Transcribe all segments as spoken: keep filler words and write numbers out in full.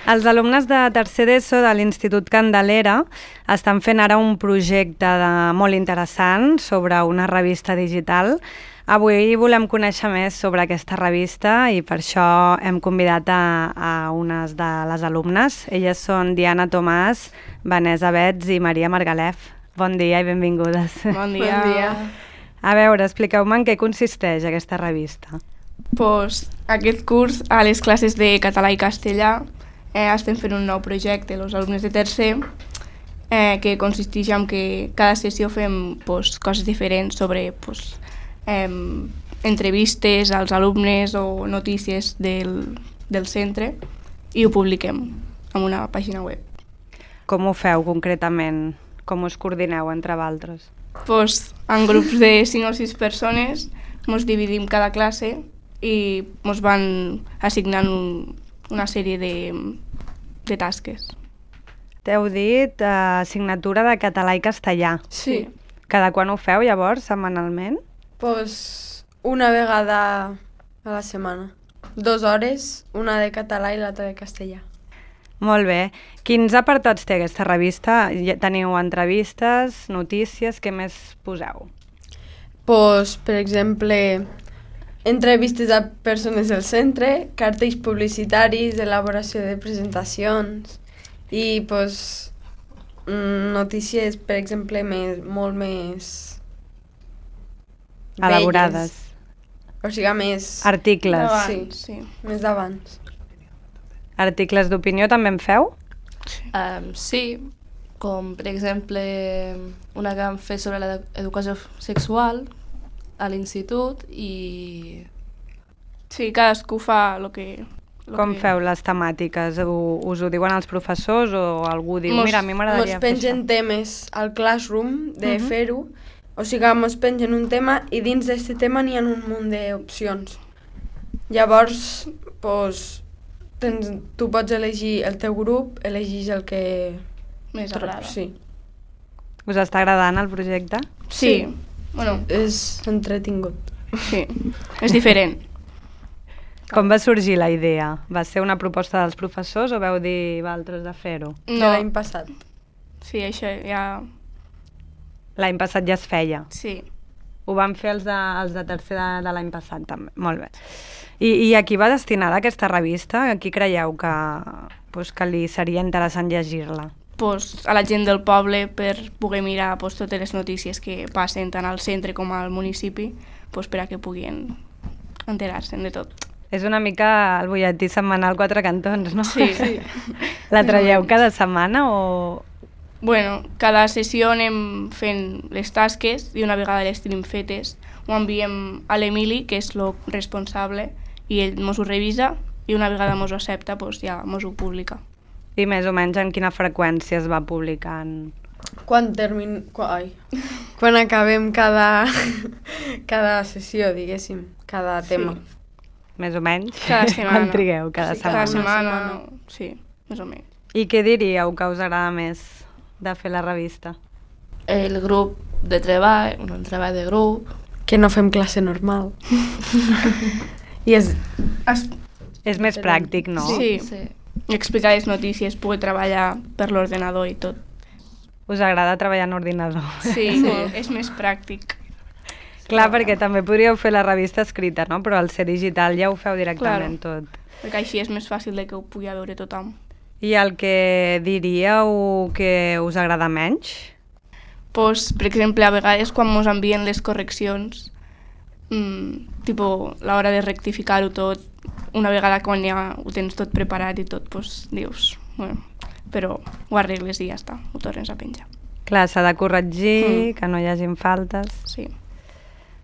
Els alumnes de tercer d'ESO de l'Institut Candelera estan fent ara un projecte de, molt interessant sobre una revista digital. Avui volem conèixer més sobre aquesta revista i per això hem convidat a, a unes de les alumnes. Elles són Diana Tomàs, Vanessa Bets i Maria Margalef. Bon dia i benvingudes. Bon dia. Bon dia. A veure, expliqueu-me en què consisteix aquesta revista. Pues, aquest curs, a les classes de català i castellà, eh, estem fent un nou projecte, els alumnes de tercer, eh, que consisteix en que cada sessió fem pues, coses diferents sobre pues, eh, entrevistes als alumnes o notícies del, del centre i ho publiquem en una pàgina web. Com ho feu concretament? Com us coordineu entre vosaltres? Pues, en grups de cinc o sis persones ens dividim cada classe i ens van assignant un, una sèrie de, de tasques. T'heu dit eh, assignatura de català i castellà. Sí. Cada quan ho feu, llavors, setmanalment? Pues una vegada a la setmana. Dos hores, una de català i l'altra de castellà. Molt bé. Quins apartats té aquesta revista? Teniu entrevistes, notícies, què més poseu? Pues, per exemple, entrevistes a persones del centre, cartells publicitaris, elaboració de presentacions i pues, notícies, per exemple, més, molt més elaborades. Velles. O sigui, més... Articles. D'abans, sí, sí. Més d'abans. Articles d'opinió també en feu? Um, sí, com per exemple una que vam fer sobre l'educació sexual a l'institut i... Sí, cadascú fa el que... Lo Com que... feu les temàtiques? Ho, us ho diuen els professors o algú diu, Mos, mira, a mi m'agradaria fer això? Mos pengen temes al Classroom de Uh-huh. fer-ho, o sigui, mos pengen un tema i dins d'aquest tema n'hi ha un munt d'opcions. Llavors, pues, tens, tu pots elegir el teu grup, elegis el que... Més agrada. Sí. Us està agradant el projecte? Sí. sí. Bueno, és entretingut. Sí, és diferent. Com va sorgir la idea? Va ser una proposta dels professors o veu dir vosaltres de fer-ho? No. De l'any passat. Sí, això ja... L'any passat ja es feia. Sí. Ho van fer els de, els de tercer de, de l'any passat també. Molt bé. I, I a qui va destinada aquesta revista? A qui creieu que, pues, que li seria interessant llegir-la? Pues, a la gent del poble per poder mirar pues, totes les notícies que passen tant al centre com al municipi pues, per a que puguin enterar-se'n de tot. És una mica el butlletí setmanal Quatre Cantons, no? Sí. sí. La traieu cada setmana o...? Bueno, cada sessió anem fent les tasques i una vegada les tenim fetes ho enviem a l'Emili, que és el responsable, i ell mos ho revisa i una vegada mos ho accepta pues, ja mos ho publica. I més o menys en quina freqüència es va publicant? Quan termin... Quan, ai. Quan acabem cada, cada sessió, diguéssim, cada tema. Sí. Més o menys? Cada setmana. Quan trigueu? Cada sí, setmana? Cada setmana, setmana. no. Sí, més o menys. I què diríeu que us agrada més de fer la revista? El grup de treball, un treball de grup. Que no fem classe normal. I és... Es... És més pràctic, no? Sí. sí. Explicar les notícies, poder treballar per l'ordenador i tot. Us agrada treballar en ordinador? Sí, sí. És més pràctic. Clar, perquè també podríeu fer la revista escrita, no? Però al ser digital ja ho feu directament claro. tot. Perquè així és més fàcil de que ho pugui veure tothom. I el que diríeu que us agrada menys? Pues, per exemple, a vegades quan ens envien les correccions, mmm, tipo, l'hora de rectificar-ho tot, una vegada quan ja ho tens tot preparat i tot, pues, dius, bueno, però ho arregles i ja està, ho tornes a penjar. Clar, s'ha de corregir, Mm. que no hi hagin faltes. Sí.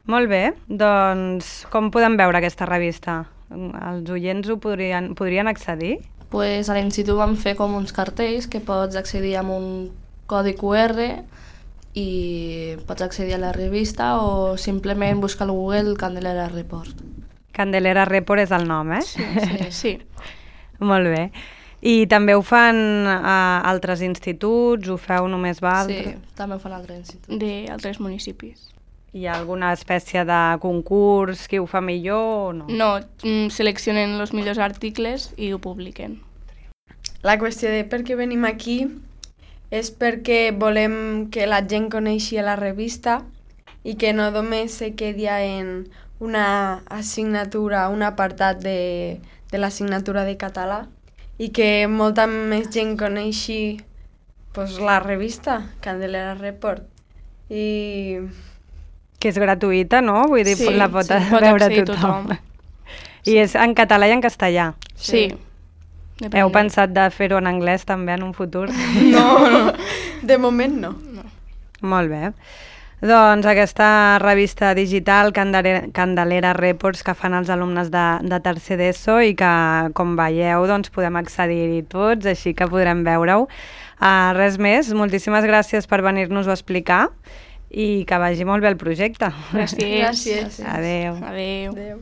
Molt bé, doncs com podem veure aquesta revista? Els oients ho podrien, podrien accedir? Pues a l'institut vam fer com uns cartells que pots accedir amb un codi Q R i pots accedir a la revista o simplement buscar al Google Candelera Report. Candelera Report és el nom, eh? Sí, sí. sí. Molt bé. I també ho fan a altres instituts? Ho feu només vosaltres? Sí, també ho fan altres instituts. D'altres municipis. Hi ha alguna espècie de concurs, qui ho fa millor o no? No, mm, seleccionen els millors articles i ho publiquen. la qüestió de per què venim aquí és perquè volem que la gent coneixi la revista i que no només se quedi en una assignatura, un apartat de, de l'assignatura de català i que molta més gent coneixi pues, la revista Candelera Report. I... Que és gratuïta, no? Vull dir, Sí, la pot sí, pot veure accedir tothom. tothom. I és en català i en castellà. Sí. Heu pensat de fer-ho en anglès també en un futur? No, no, de moment no. Molt bé. Doncs aquesta revista digital Candelera, Candelera Reports que fan els alumnes de, de tercer d'ESO i que, com veieu, doncs podem accedir-hi tots, així que podrem veure-ho. Uh, res més, moltíssimes gràcies per venir-nos-ho a explicar i que vagi molt bé el projecte. Gràcies. Gràcies. Adéu. Adéu. Adéu.